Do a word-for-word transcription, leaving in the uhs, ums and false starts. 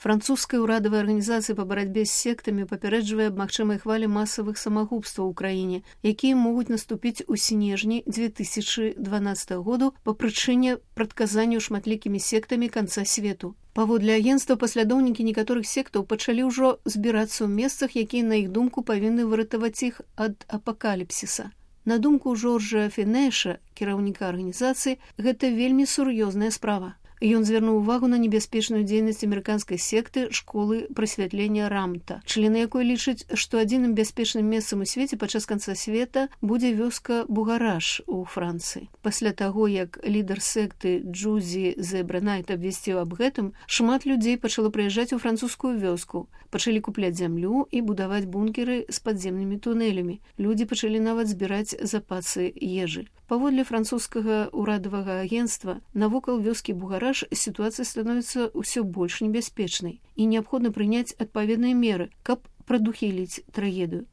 Французская ўрадавая арганізацыя па барацьбе з сектамі папярэджвае аб магчымай хвалі масавых самагубстваў у краіне, якія могуць наступіць у снежні дзве тысячы дванаццатага году па прычыне прадказанняў шматлікімі сектамі канца свету. Паводле агенцтва, паслядоўнікі некаторых сектаў пачалі ўжо збірацца ў месцах, якія, на іх думку, павінны выратаваць іх ад апакаліпсіса. На думку Жоржа Фінэша, кіраўніка арганізацыі, гэта вельмі сур'ёзная справа. Ён звярнуў увагу на небяспечную дзейнасць амерыканскай секты школы прасвятлення Рамта, члены якой лічаць, што адзіным бяспечным месцам у свеце падчас канца света будзе вёска Бугараш у Францыі. Пасля таго, як лідар секты Джузі Зэбранайт абвясціў аб гэтым, шмат людзей пачало прыязджаць у французскую вёску, пачалі купляць зямлю і будаваць бункеры з падземнымі тунэлямі. Людзі пачалі нават збіраць запасы ежы. Паводле французскага ўрадавага агенцтва, навокал вёскі Бугараш сітуацыя становіцца ўсё больш небяспечнай і неабходна прыняць адпаведныя меры, каб прадухіліць трагедыю.